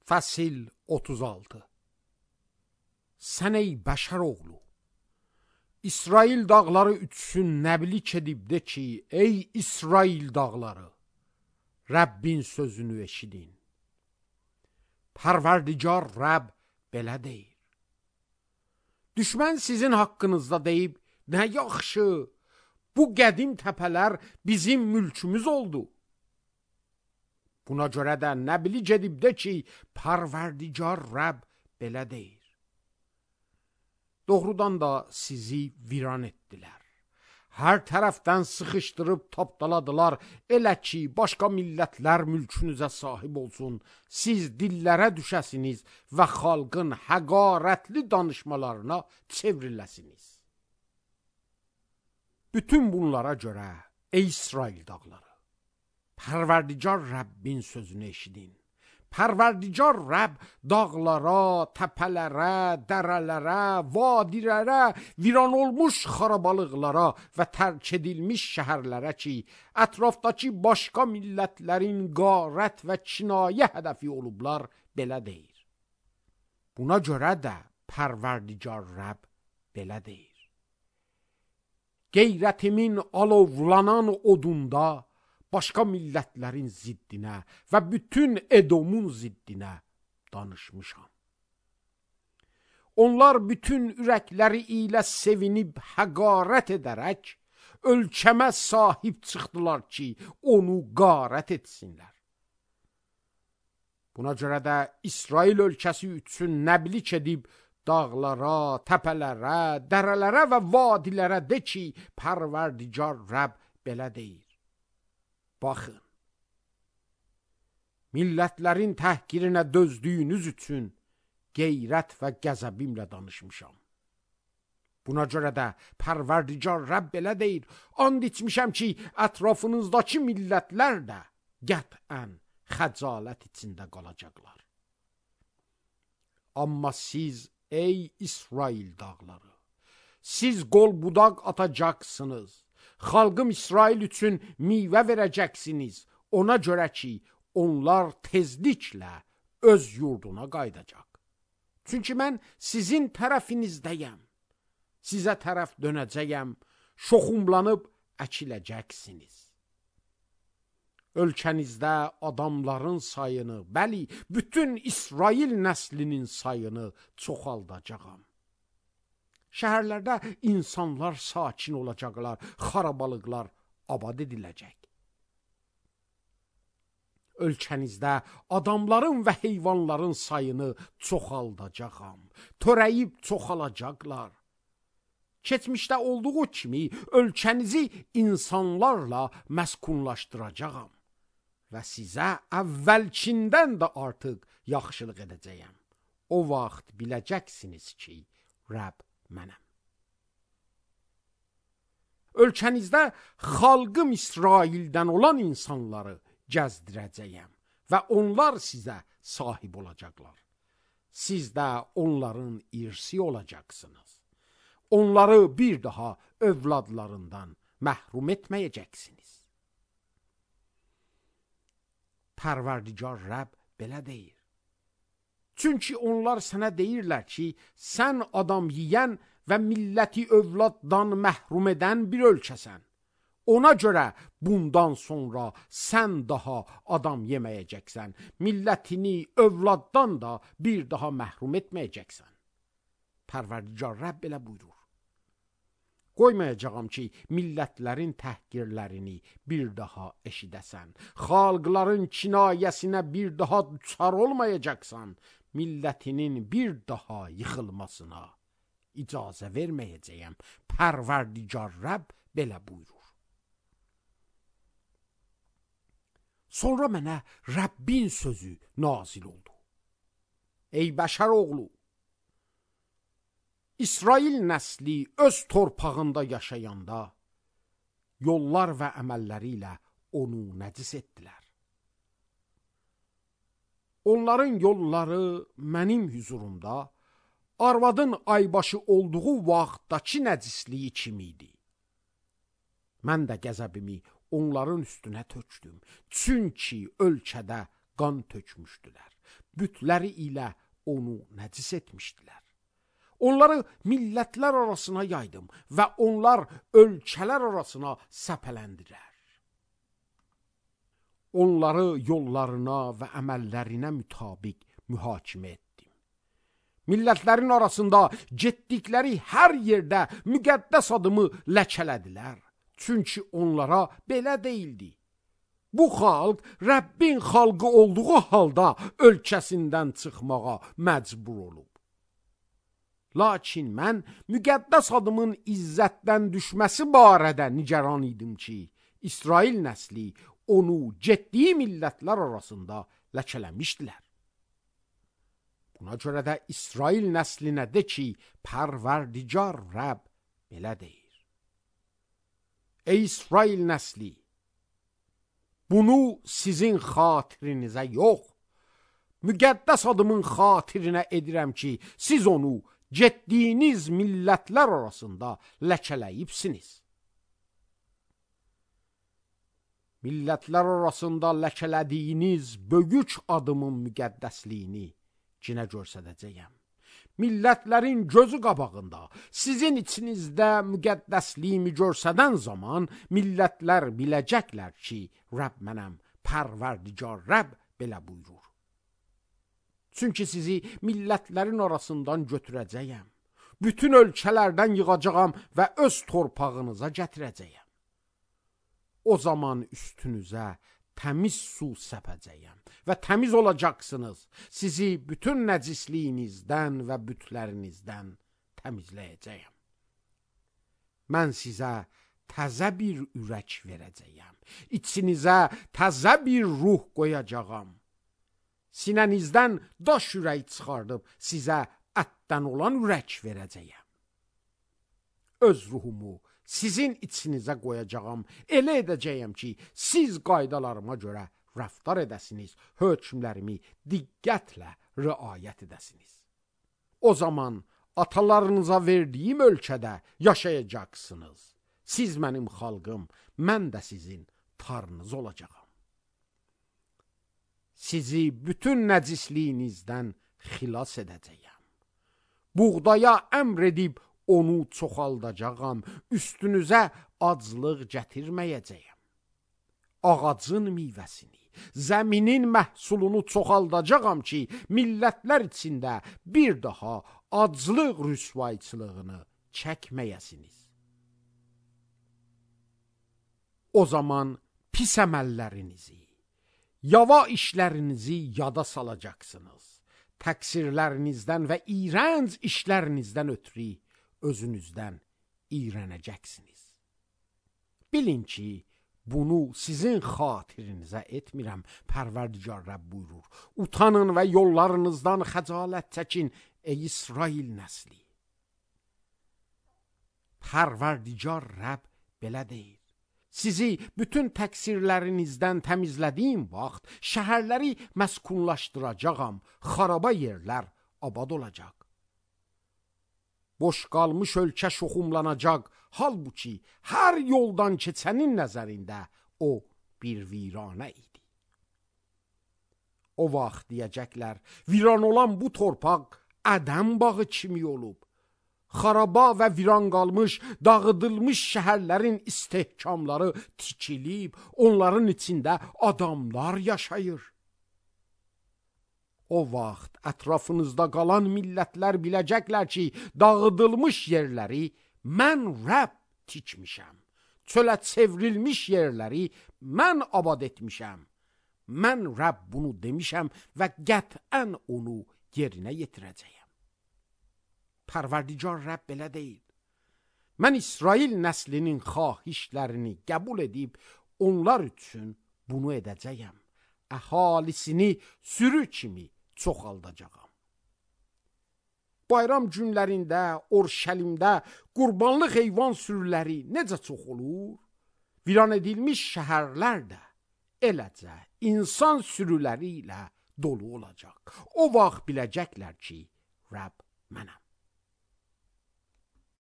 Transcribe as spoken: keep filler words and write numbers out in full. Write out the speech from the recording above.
Fəsil otuz altı. Sən ey bəşər oğlu, İsrail dağları üçsün nəblik edib de ki, ey İsrail dağları, Rəbbin sözünü eşidin. Pərverdigar Rəbb belə deyir. Düşmən sizin haqqınızda deyib, nə yaxşı, bu qədim təpələr bizim mülkümüz oldu. Buna görə də nəblik edib de ki, Pərverdigar Rəbb belə deyir. Doğrudan da sizi viran etdilər. Hər tərəfdən sıxışdırıb tapdaladılar, elə ki, başqa millətlər mülkünüzə sahib olsun, siz dillərə düşəsiniz və xalqın həqarətli danışmalarına çevriləsiniz. Bütün bunlara görə, ey İsrail dağları, Pərverdigar Rəbbin sözünü eşidin. Pərverdigar Rəbb dağlara, təpələrə, dərələrə, vadilərə, viran olmuş xarabalıqlara və tərk edilmiş şəhərlərə ki, ətrafdakı başqa millətlərin qarət və kinayə hədəfi olublar, belə deyir. Buna görə də Pərverdigar Rəbb belə deyir. Qeyrətimin alovlanan odunda, başqa millətlərin ziddinə və bütün Edomun ziddinə danışmışam. Onlar bütün ürəkləri ilə sevinib həqarət edərək, ölkəmə sahib çıxdılar ki, onu qarət etsinlər. Buna görə də İsrail ölkəsi üçün nəblik edib, dağlara, təpələrə, dərələrə və vadilərə de ki, Pərverdigar Rəbb belə deyir. Baxın, millətlərin təhqirinə dözdüyünüz üçün qeyrət və qəzəbimlə danışmışam. Buna görə də Pərverdigar Rəbb belə deyir, and içmişəm ki, ətrafınızdakı millətlər də qətən xəcalət içində qalacaqlar. Amma siz, ey İsrail dağları, siz qol budaq atacaqsınız. Xalqım İsrail üçün meyvə verəcəksiniz, ona görə ki, onlar tezliklə öz yurduna qaydacaq. Çünki mən sizin tərəfinizdəyəm, sizə tərəf dönəcəyəm, şoxumlanıb əkiləcəksiniz. Ölkənizdə adamların sayını, bəli, bütün İsrail nəslinin sayını çoxaldacağam. Şəhərlərdə insanlar sakin olacaqlar, xarabalıqlar abad ediləcək. Ölkənizdə adamların və heyvanların sayını çoxaldacağam, törəyib çoxalacaqlar. Keçmişdə olduğu kimi ölkənizi insanlarla məskunlaşdıracağam və sizə əvvəlkindən də artıq yaxşılıq edəcəyəm. O vaxt biləcəksiniz ki, Rəbb mənəm. Ölkənizdə xalqım İsraildən olan insanları gəzdirəcəyəm və onlar sizə sahib olacaqlar. Siz də onların irsi olacaqsınız. Onları bir daha övladlarından məhrum etməyəcəksiniz. Pərverdigar Rəbb belə deyir. Çünki onlar sənə deyirlər ki, sən adam yiyən və milləti övladdan məhrum edən bir ölkəsən. Ona görə bundan sonra sən daha adam yeməyəcəksən, millətini övladdan da bir daha məhrum etməyəcəksən. Pərverdigar Rəbb belə buyurur. Qoymayacağam ki, millətlərin təhqirlərini bir daha eşidəsən, xalqların kinayəsinə bir daha düçar olmayacaqsan, millətinin bir daha yıxılmasına icazə verməyəcəyəm. Pərverdigar Rəbb belə buyurur. Sonra mənə Rəbbin sözü nazil oldu. Ey bəşər oğlu, İsrail nəsli öz torpağında yaşayanda yollar və əməlləri ilə onu nəcis etdilər. Onların yolları mənim hüzurumda arvadın aybaşı olduğu vaxtdakı nəcisliyi kimi idi. Mən də qəzəbimi onların üstünə tökdüm, çünki ölkədə qan tökmüşdülər. bütləri ilə onu nəcis etmişdilər. Onları millətlər arasına yaydım və onlar ölkələr arasına səpələndilər. Onları yollarına və əməllərinə mütabiq mühakimə etdim. Millətlərin arasında getdikləri hər yerdə müqəddəs adımı ləkələdilər. Çünki onlara belə deyildi: bu xalq Rəbbin xalqı olduğu halda ölkəsindən çıxmağa məcbur olub. Lakin mən müqəddəs adımın izzətdən düşməsi barədə nigaran idim ki, İsrail nəsli onu getdiyi millətlər arasında ləkələmişdilər. Buna görə də İsrail nəslinə de ki, Pərverdigar Rəbb belə deyir: ey İsrail nəsli, bunu sizin xatirinizə yox, müqəddəs adımın xatirinə edirəm ki, siz onu getdiyiniz millətlər arasında ləkələyibsiniz. Millətlər arasında ləkələdiyiniz böyük adımın müqəddəsliyini cinə göstərəcəyəm. Millətlərin gözü qabağında sizin içinizdə müqəddəsliyimi görsədən zaman millətlər biləcəklər ki, Rəbb mənəm, Pərverdigar Rəbb belə buyurur. Çünki sizi millətlərin arasından götürəcəyəm, bütün ölkələrdən yığacağam və öz torpağınıza gətirəcəyəm. O zaman üstünüzə təmiz su səpəcəyəm və təmiz olacaqsınız. Sizi bütün nəcisliyinizdən və bütlərinizdən təmizləyəcəyəm. Mən sizə təzə bir ürək verəcəyəm. İçinizə təzə bir ruh qoyacağam. Sinənizdən daş ürək çıxardıb sizə ətdən olan ürək verəcəyəm. Öz ruhumu sizin içinizə qoyacağam, elə edəcəyəm ki, siz qaydalarıma görə rəftar edəsiniz, hökmlərimi diqqətlə riayət edəsiniz. O zaman atalarınıza verdiyim ölkədə yaşayacaqsınız. Siz mənim xalqım, mən də sizin tarınız olacağam. Sizi bütün nəcisliyinizdən xilas edəcəyəm. Buğdaya əmr edib onu çoxaldacağam, üstünüzə aclıq gətirməyəcəyəm. Ağacın meyvəsini, zəminin məhsulunu çoxaldacağam ki, millətlər içində bir daha aclıq rüsvayçılığını çəkməyəsiniz. O zaman pis əməllərinizi, yava işlərinizi yada salacaqsınız. Təqsirlərinizdən və iyrənc işlərinizdən ötürü özünüzdən iyrənəcəksiniz. Bilin ki, bunu sizin xatirinizə etmirəm, Pərverdigar Rəbb buyurur. Utanın və yollarınızdan xəcalət çəkin, ey İsrail nəsli. Pərverdigar Rəbb belə deyir: sizi bütün təqsirlərinizdən təmizlədiyim vaxt şəhərləri məskunlaşdıracağam, xaraba yerlər abad olacaq. Boş qalmış ölkə şoxumlanacaq, halbuki hər yoldan keçənin nəzərində o bir viranə idi. O vaxt deyəcəklər, viran olan bu torpaq Ədəm bağı kimi olub. Xaraba və viran qalmış, dağıdılmış şəhərlərin istehkamları tikilib, onların içində adamlar yaşayır. O vaxt ətrafınızda qalan millətlər biləcəklər ki, dağıdılmış yerləri mən Rəbb tikmişəm. Çölə çevrilmiş yerləri mən abad etmişəm. Mən Rəbb bunu demişəm və qətən onu yerinə yetirəcəyəm. Pərverdigar Rəbb belə deyir: mən İsrail nəslinin xahişlərini qəbul edib onlar üçün bunu edəcəyəm. Əhalisini sürü kimi çoxaldacağam. Bayram günlərində, Orşəlimdə qurbanlıq heyvan sürüləri necə çox olur? Viran edilmiş şəhərlər də eləcə insan sürüləri ilə dolu olacaq. O vaxt biləcəklər ki, Rəbb mənəm.